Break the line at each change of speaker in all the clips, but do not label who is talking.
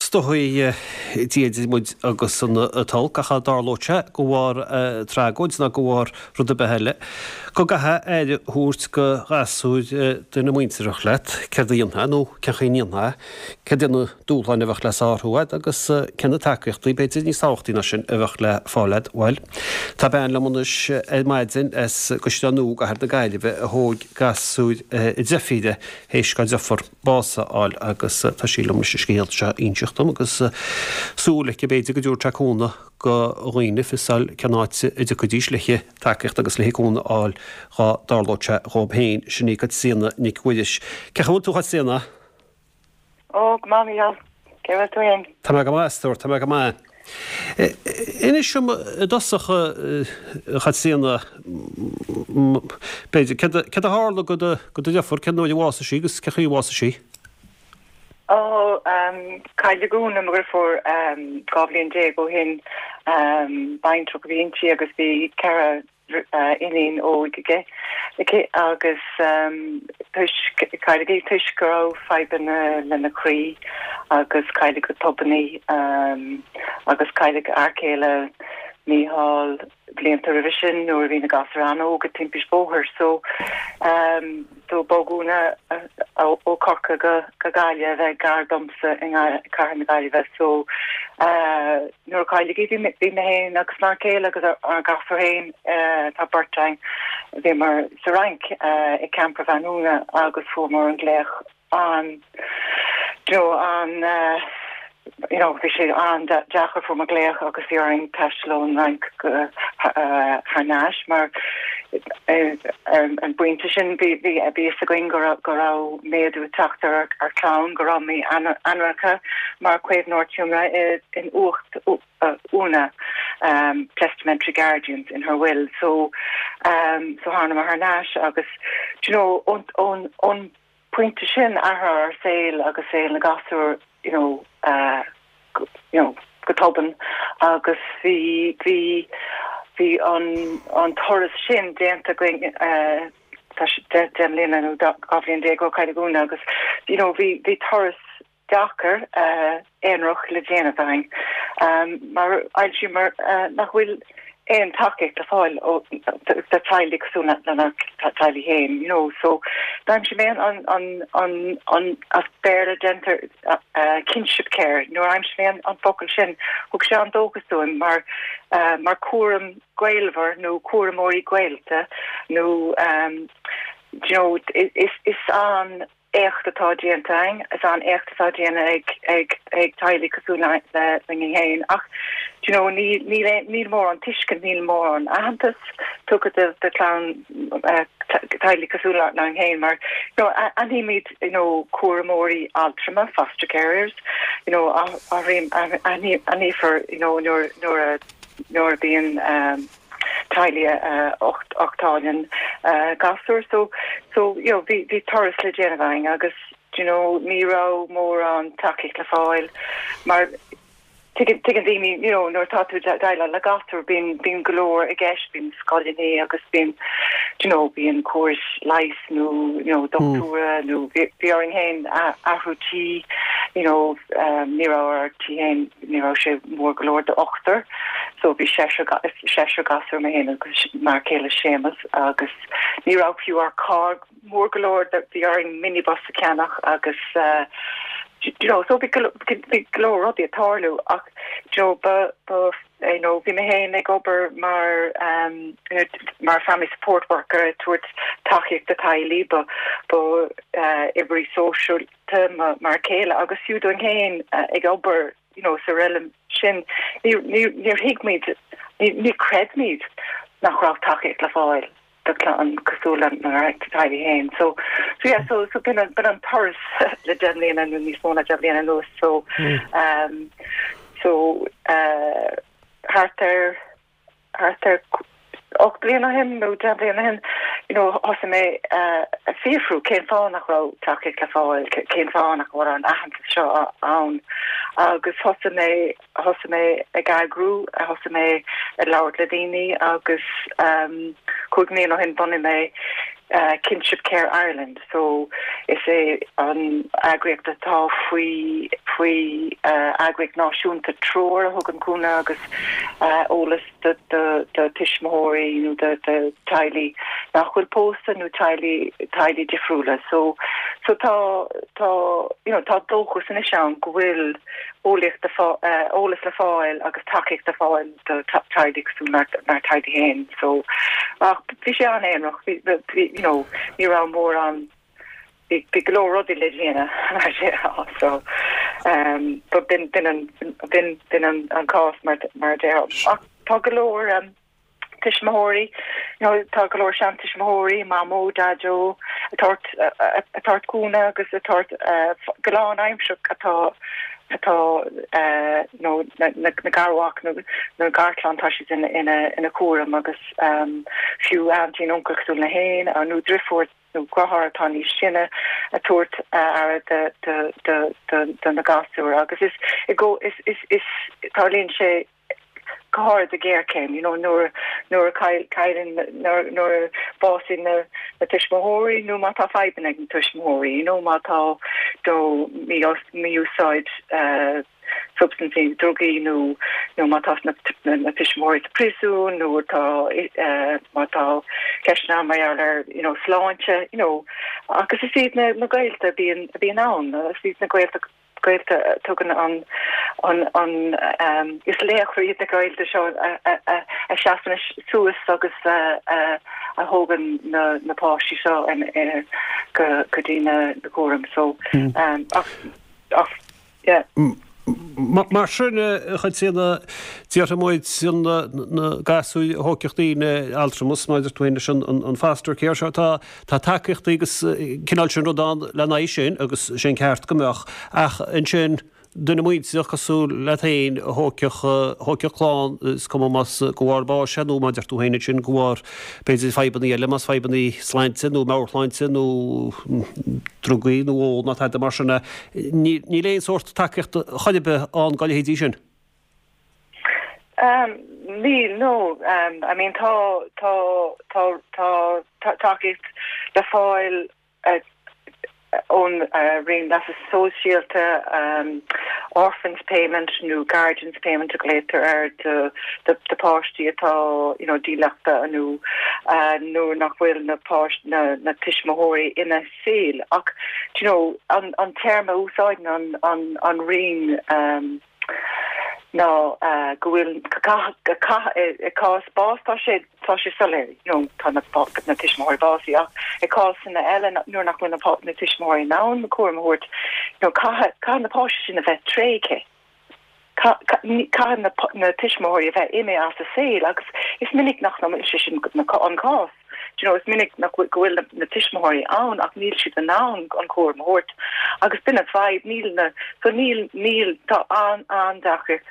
Is dóigh, Dia idir muid agus an t-olc, ach dá dtarlódh sé de bharr tragóid ná de bharr rud ar bith eile, go gcaithfeá aire a thabhairt do ghasúir duine muintearthach leat, céard a dhéanfá nó cén chaoi a ndéanfá é, céard iad na dúshláin a bheadh le sárú agat agus cé na tacaíochtaí, b'fhéidir níos tábhachtaí ná sin, a bheadh le fáil agat. Bhuel, tá bean liom anois ar maidin as gCaisleán Nua i gCathair na Gaillimhe a thóg gasúir a deirfíre théis dá deirfiúr bás a fháil agus tá sí liom leis an scéal seo a inseacht dom agus súil aici b'fhéidir go dtabharfadh sé cúnamh do dhaoine fios a fháil cén áit a dtiocfaidís le tacaíocht agus le cúnamh a fháil dhá dtarlódh sé dhóibh féin. Sin í Caitríona Nic Mhuiris. Cén chaoi a bhfuil tú a Chaitríona?
Ó, go maith, Mícheál. Cé bhfuil tú fhéin?
Tá mé go maith, a stór, tá mé go maith. Inis dom i dtosach, a Chaitríona, b'fhéidir, céard a tharla do do dheirfiúr, cén uair a bhásaigh sí agus cén chaoi a bhásaigh sí?
Ó, cailleadh Úna, mo dheirfiúr, 12 bhliain ó shin. Baintreach a bhí inti agus bhí 4 iníon óg aige, aici agus toisc, cailleadh í toisc go raibh fadhbanna lena croí agus cailleadh go tobann í agus cailleadh a fhear céile Mícheál blianta roimhe sin nuair a bhí na gasúir an-óg i dtimpist bóthair so so bhog Úna ó Corcaigh go go Gaillimh a bheith gar domsa i gcathair na Gaillimhe so Nuair a cailleadh í bhí mé féin agus m'fhear céile agus ár gasúir féin, tá beirt againn, bhíomar sa Fhrainc ag campervan Úna agus fuaireamar an glaoch an, you know, an, you know, bhí sé an-deacair, fuaireamar glaoch agus bhí orainn taisteal ón Fhrainc go thar n-ais mar ar an bpointe sin bhí bhí a fhios againn go raibh go raibh méadú ag teacht ar ár clann, go raibh mé ainmnithe mar caomhnóir tiomnaithe i in uacht Úna, testamentary guardians in her will. So so thánamar thar n-ais agus do you know ón ón ón pointe sin athraigh ár saol agus saol na gasúr you know you know go tobann agus bhí bhí bhí an an turas sin déanta againn tá 10 mbliana nó 12 bhliain ó cailleadh Úna agus you know bhí bhí turas deacair aonarach le déanamh againn mar aimsíomar nach bhfuil aon tacaíocht le fáil ó do teaghlaigh cosúil lenár teaghlaigh féin you know so d'aimsigh mé an an an an as Béarla déarfar kinship care nuair a aimsigh mé an an focal sin thug sé an dóchas dúinn mar mar cúram gaolmhar nó cúramóirí gaolta nó you know is is an éacht atá déanta againn, is an-éacht atá déanta ag ag ag teaghlaigh cosúil le linn féin ach do you know níl níl níl mórán tuiscint, níl mórán aitheantas tugtha do do chlann teaghlaigh cosúil linn féin mar you know aithnímid you know cúramóirí altrama, foster carers, you know aithníofar you know nuair nuair a nuair a bhíonn teaghlaigh a uchtálann gasúir so so you know bhí bhí turas le déanamh againn agus do you know ní raibh mórán tacaíocht le fáil mar tuigeann tuigeann daoine you know nuair atá tú déileáil le gasúr bíonn bíonn go leor i gceist bíonn scoileanna agus bíonn do you know bíonn córais leighis nó you know dochtúra nó bhí bhí orainn féin athrú tí you know ní raibh ár tí féin ní raibh sé mór go leor d'ochtar so bhí seisear seisear gasúr mé féin agus m'fhear céile Séamus agus ní raibh fiú ár carr mór go leor bhí orainn minibus a cheannach agus you know so bhí go bhí go leor rudaí ag tarlú ach you know ba ba you know bhí mé féin ag obair mar um mar family support worker ag tabhairt tacaíocht do teaghlaigh ba ba uh, oibrí sóisialta m'fhear céile agus fiú dúinn féin ag obair you know sa reilig sin níor thuig muid níor chreid muid nach raibh tacaíocht le fáil do chlann cosúil lenár dteaghlaigh féin. So so yeah so so b'in an b'in an turas le 10 mbliana nó níos mó ná 10 mbliana anuas so um so uh thart ar thart ar 8 bliana ó shin nó 10 bliana ó shin, you know, thosaigh mé ag fiafrú cén fáth nach raibh tacaíocht le fáil, cén fáth nach bhfuil an aitheantas seo ann agus thosaigh mé, thosaigh mé ag eagrú, thosaigh mé ag labhairt le daoine agus cúig mbliana ó shin bhunaigh mé Kinship Care Ireland so is é an eagraíocht atá faoi. faoi eagraíocht náisiúnta Treoir a thugann cúnamh agus eolas do tuismitheoirí nó do teaghlaigh nach bhfuil pósta nó teaghlaigh teaghlaigh difriúla. So so tá tá you know tá dóchas anois ann go bhfuil eolaíocht eolas le fáil agus tacaíocht le fáil do teaghlaigh cosúil lenár dteaghlaigh féin. So ach bhí sé an-aonarach bhí bhí you know ní raibh mórán bhí bhí go leor rudaí le déanamh mar a déarfá so um but b'in b'in an b'in b'in an an cás mar mar a déarfá. Ach tá go leor um tuismitheoirí you know tá go leor seantuismitheoirí, mamó, daideo ag tabhairt ag tabhairt cúnamh agus ag tabhairt go lánaimsearach atá atá you know na na na garmhac nó na garchlann tá siad ina ina ina cúram agus fiú auntie nó uncail cosúil liom féin nó driofúr nó deartháir atá níos sine ag tabhairt aire do na gasúir agus is i gcó is is is tarlaíonn sé go háirid i géarchéim you know nuair nuair a cailleann nuair nuair a bhásaíonn na na tuismitheoirí nó má tá fadhbanna ag na tuismitheoirí you know má tá do mí-úsáid substaintí, drugaí nó nó má tá na na tuismitheoirí sa phríosún nó tá má tá ceisteanna ann mar gheall ar you know sláinte you know agus is iad na na gaolta a bhíonn a bhíonn ann is iad na gaolta gaolta a tugann an an an um is laochra iad na gaolta seo a a a a seasann suas agus a a a thógann na na páistí seo in go go dtí na na cúram so um ach ach Yeah.
Mar sin, a Chaitríona, déarfaidh muid na gasúir a thógfadh daoine altramas, mar a deir tú féin leis an foster care seo, tá tacaíochtaí agus cineál sin rud ann lena aghaidh sin agus sé an ceart go mbeadh ach ansin duine muinteartha cosúil leat féin a thógfadh clann, is cuma más de bharr báis é nó mar a deir tú féin ansin de bharr b'fhéidir fadhbanna eile, más fadhbanna sláinte nó meabhairshláinte nó drugaí nó ól nó tada mar sin é. Níl aon sórt tacaíochta chor ar bith ann dá leithéidí sin.
Níl, no. I mean tá, tá, tá, tá tacaíocht le fáil ón Roinn Leasa Sóisialta, Orphans Payment nó Guardians Payment a ghlaotar air do do páistí atá you know dílleachta nó nuair nach bhfuil na páistí na na tuismitheoirí ina saol ach do you know an an téarma a úsáideann an an an Roinn ná go bhfuil go caith i gcás bás tá sé tá sé soiléir you know tá na na tuismitheoirí básaithe ach i cásanna eile nuair nach bhfuil na na tuismitheoirí in ann cúram a thabhairt you know caithfidh caithfidh na páistí sin a bheith tréigthe. Caithfidh na tuismitheoirí a bheith imithe as a saol agus is minic nach bhfuil sé sin an cás. Do you know, is minic nach bhfuil, go bhfuil na tuismitheoirí ann ach níl siad in ann an cúram a thabhairt agus b'in an fadhb, níl na, so níl, níl, tá an-an-deacracht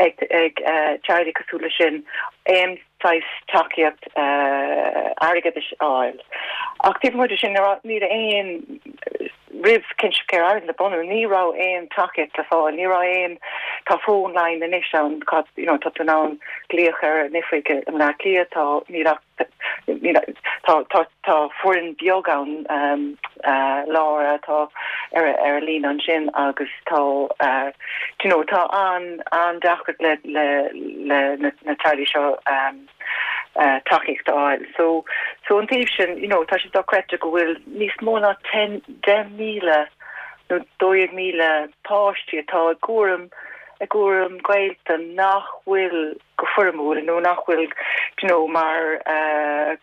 ag, ag teaghlaigh cosúil leis sin aon saghas tacaíocht airgeadais a fháil. Ach taobh amuigh de sin, níl aon, roimh Kinship Care Ireland a bunú, ní raibh aon tacaíocht le fáil, ní raibh aon, tá phone line anois ann, you know, tá tú in ann glaoch ar an oifig i mBleá Cliath, tá, níl ach, níl, tá, tá, tá foireann beag ann, um, uh, Laura atá ar, ar an líne ansin agus tá, uh, you know, tá an, an-deacracht le, le, le na, na teaghlaigh seo, um, tacaíocht a fháil. So, so an taobh sin, you know, tá sé dochreidte go bhfuil níos mó ná 10, 10,000 nó 12,000 páistí atá i gcúram, i gcúram gaolta nach bhfuil go foirmiúil nó nach bhfuil, you know, mar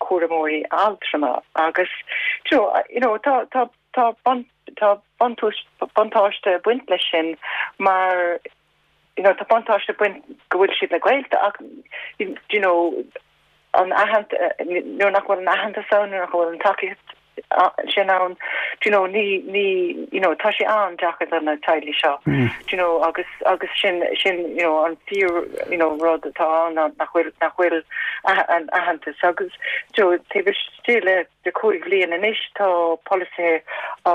chúramóirí altrama agus, you know, you know, tá, tá, tá bun, tá buntáiste ag baint leis sin mar, you know, tá buntáiste ag baint go bhfuil siad le gaolta ach you know, an aitheant nuair nach bhfuil an aitheantas ann, nuair nach bhfuil an tacaíocht sin ann, do you know, ní, ní, you know, tá sé an-deacair do na teaghlaigh seo, do you know, agus, agus sin, sin, you know, an fíor, you know, rud atá ann ná nach bhfuil, nach bhfuil an aitheantas agus, do you know, taobh istigh le de 5 bhliain anois tá polasaithe á,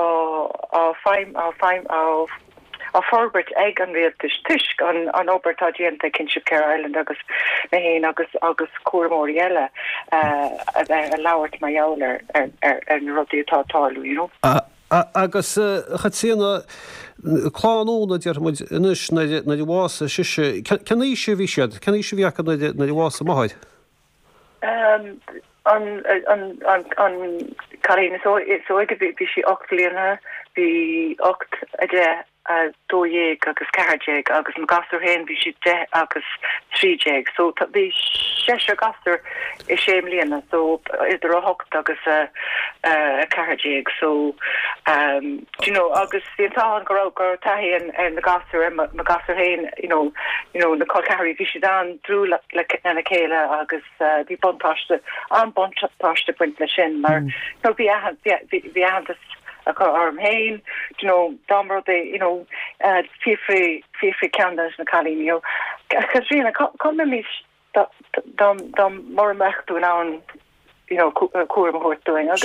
á feidhm, á feidhm, á. á forbairt ag an rialtas toisc an an obair atá déanta ag Kinship Care Ireland agus mé féin agus agus cúramóirí eile a bheith ag labhairt mar gheall ar ar ar na rudaí atá ag tarlú, you know.
Agus a Chaitríona, clann Úna, déarfaidh muid anois, nuair a bhásaigh sise, cén aois a bhí siad, cén aois a bhí acu nuair a bhásaigh a máthair?
An cailín is óige, bhí sí 8 mbliana, bhí 8, 10, 12 agus 14 agus mo ghasúr féin bhí siad 10 agus 13 so bhí seisear gasúr i sé mbliana so idir 8 agus 14 so do you know agus bhí an t-ádh ann go raibh go raibh taithí ar na gasúir ar mo ghasúr féin you know you know na col ceathraí bhí siad an-dlúth le lena chéile agus bhí buntáiste an-buntáiste ag baint leis sin mar you know bhí bhí aitheantas acu orm féin, do you know, dá mba rud é, you know, fiafraigh, fiafraigh ceann de na cailíní, you know, Caitríona, cá, cá mbeimis dá, dá, dá mura mbeadh tú in ann, you know, cúram a thabhairt dúinn agus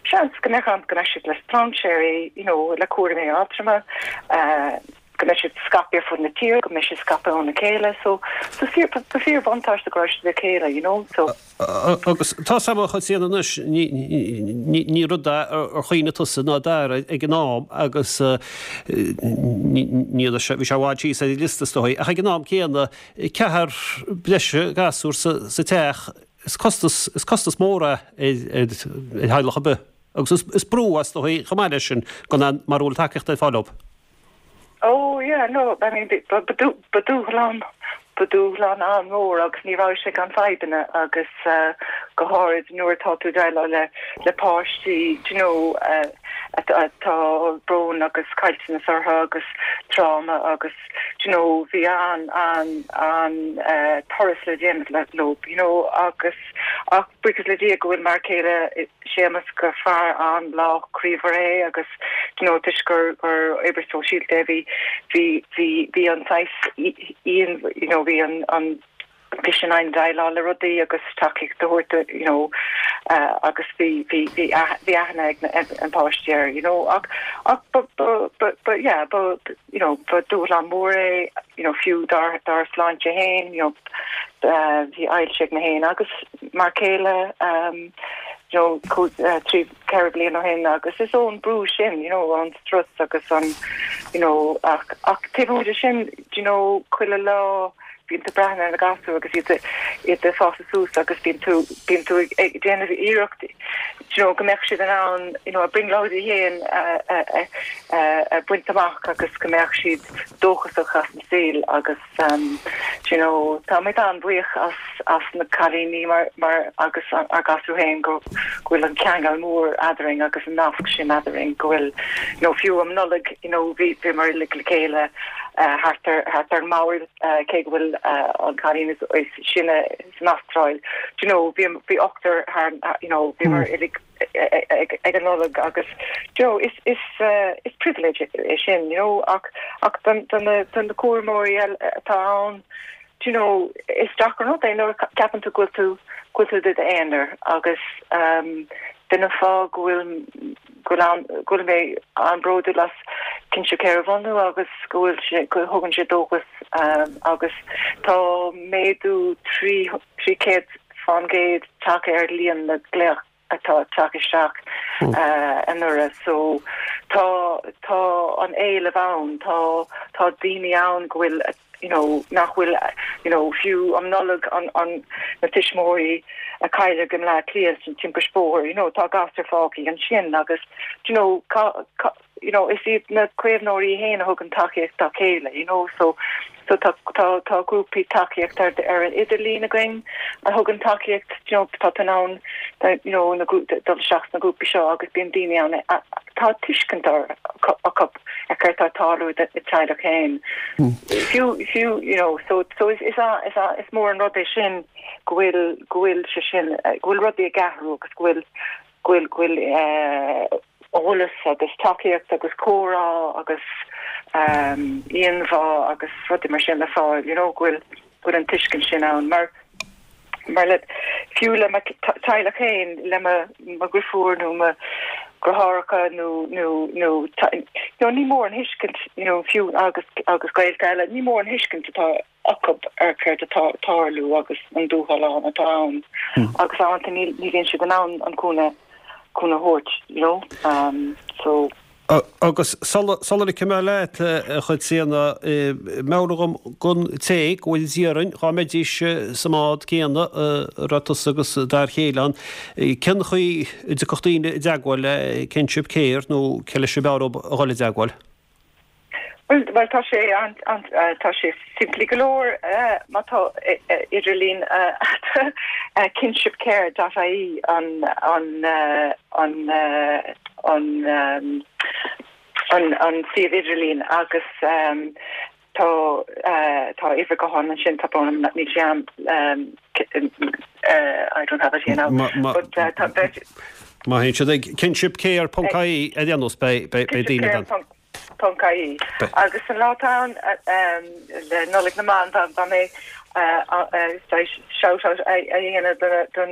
seans go mbeadh ann go mbeadh siad le strainséirí, you know, le cúraimí altrama, go mbeadh siad scaipthe ar fud na tíre, go mbeadh siad scaipthe óna chéile, so, so fíor, ba fíorbhuntáiste go raibh siad le chéile, you know, so.
Agus tá a fhios agam a Chaitríona anois, ní rud é ar chuimhnigh tusa ná Dara ag an am agus ní raibh sé, bhí sé i bhfad síos ar an liosta is dóigh, ach ag an am céanna, ceathrar breise gasúr sa teach, is costas, is costas mór é ar theaghlach ar bith agus is brú é is dóigh chomh maith leis sin gan aon, mara bhfuil tacaíocht ar fáil leo.
Oh yeah, no, I mean, ba dúshlán, ba dúshlán an-mhór agus ní raibh sé gan fadhbanna agus go háirid nuair atá tú ag déileáil le le páistí, do you know, atá brón agus caillteanas orthu agus tráma agus, do you know, bhí an, an, an turas le déanamh leo, you know, agus ach buíochas le Dia go bhfuil m'fhear céile Séamus gur fear an-lách croímhar é agus do you know toisc gur gur oibrí sóisialta é bhí bhí bhí bhí an saghas íon you know bhí an an bhí sé in ann déileáil le rudaí agus tacaíocht a thabhairt you know agus bhí bhí bhí bhí aithne ag na ag an páistí air you know ach ach ba ba ba ba yeah ba you know ba dúshlán mór é you know fiú dár dár sláinte féin you know bhí ailse ag mé féin agus m'fhear céile you know 3, 4 bliain ó shin agus is ón brú sin you know an strus agus an you know ach ach taobh amuigh de sin you know chuile lá bíonn tú ag breathnú ar na gasúir agus iad iad ag fás suas agus bíonn tú bíonn tú ag ag déanamh iarracht you know go mbeadh siad in ann you know a brionglóidí féin a a a a bhaint amach agus go mbeadh siad dóchasach as an saol agus Do you know, táimid an-bhuíoch as as na cailíní mar mar agus ár gasúir féin go go bhfuil an ceangal mór eadrainn agus an nasc sin eadrainn go bhfuil you know fiú um Nollaig you know bhí bhíomar uilig le chéile thart ar thart ar an mbord cé go bhfuil an cailín is is sine san Astráil do you know bhí bhí ochtar thar you know bhíomar uilig ag an Nollaig agus you know is is is privilege é sin you know ach ach don don na don na cúramóirí eile atá ann do you know is deacair an rud é nuair a ceapann tú go bhfuil tú go bhfuil tú i d'aonar agus um b'in an fáth go bhfuil go bhfuil an go bhfuil mé an-bhródúil as Kinship Care a bhunú agus go bhfuil sé go thugann sé dóchas um agus tá méadú 300% tagtha ar líon na glaoch atá ag teacht isteach anuraidh so tá tá an éileamh ann, tá tá daoine ann go bhfuil you know nach bhfuil you know fiú um Nollaig an an na tuismitheoirí a cailleadh i mBleá Cliath san timpiste bóthair you know tá gasúir fágtha ansin agus you know cá cá you know, is iad na caomhnóirí féin a thugann tacaíocht dá chéile, you know, so so tá tá tá grúpaí tacaíochta ar ar an idirlíon againn a thugann tacaíocht, you know, tá tú in ann you know na dul isteach sna grúpaí seo agus bíonn daoine ann tá tuiscint acu ar céard atá ag tarlú i do teaghlach féin. Fiú fiú you know, so so is is is is mór an rud é sin go bhfuil go bhfuil sé sin go bhfuil rudaí ag athrú agus go bhfuil go bhfuil go bhfuil eh eolas agus tacaíocht agus comhrá agus íomhá agus rudaí mar sin le fáil, you know, go bhfuil, go bhfuil an tuiscint sin ann. Mar, mar le, fiú le mo teaghlach féin, le mo, mo dheirfiúr nó mo dheartháireacha nó, nó, nó, you know, ní mór an thuiscint, you know, fiú agus, agus gaolta eile, ní mór an thuiscint atá acu ar céard atá ag tarlú agus an dúshlán atá ann agus amanta ní bhíonn siad in ann an cúnamh cúnamh a thabhairt, you know. So.
Agus sula ligfidh mé leat, a Chaitríona, meabhraigh dhom don té go bhfuil d'iarrainn dhá mbeidís sa mbád céanna a raibh tusa agus d'fhear chéile ann, cén chaoi a dtiocfadh daoine i dteagmháil le Kinship Care nó cé leis ab fhearr dóibh a dhul i dteagmháil?
Bhuel, bhuel tá sé an, an, tá sé simplí go leor má tá idirlíon agat kinshipcare dot ie an, an, an, an, an, an suíomh idirlín agus tá, tá uimhir gutháin ansin, tá brón orm níl sé a'm, I don't have it here now, but tá,
beidh. Má théann siad ag kinshipcare ponc ie ar aon nós beidh, beidh, beidh daoine ann.
Ponc ie. Agus an lá atá ann le Nollaig na mBan, dá mbeidh saghas shout out a dhéanamh do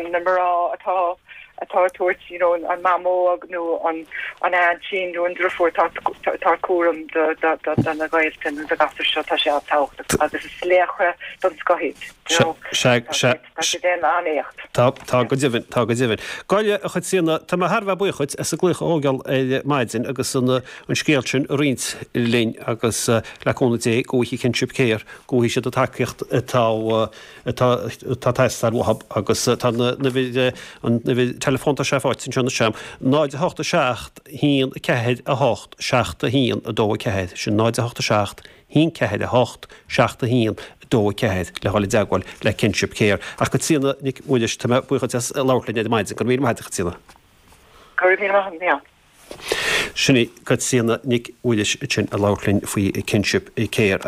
na mná atá atá ag tabhairt you know an mamó nó an an aintín nó an driofúr atá atá ag cúram do do na gaolta nó do gasúir seo tá sé an-tábhachtach agus is laochra den scoth iad you know.
Sea, sea.
Tá siad ag déanamh an-éacht.
Tá, tá go deimhin, tá go deimhin. Gabh i leith, a Chaitríona, tá mé thar a bheith buíoch dhuit as an glaoch a thógáil ar maidin agus an an scéal sin a roinnt linn agus le cúnamh Dé go bhfaighidh Kinship Care, go bhfaighidh siad an tacaíocht atá atá atá ag teastáil uathu agus tá an uimhir an uimhir teileafóin tá sé faighte anseo anois agam, 0 8 7 1 4 8 7 1 2 4, sin 0 8 7 1 4 8 7 1 2 4 le dhul i dteagmháil le Kinship Care. Ach Caitríona Nic Mhuiris, tá mé buíoch duit as labhairt linn ar maidin. Go raibh míle maith agat, a Chaitríona.
Go raibh míle maith agat, Mícheál.
Sin í Caitríona Nic Mhuiris ansin ag labhairt linn faoi Kinship Care.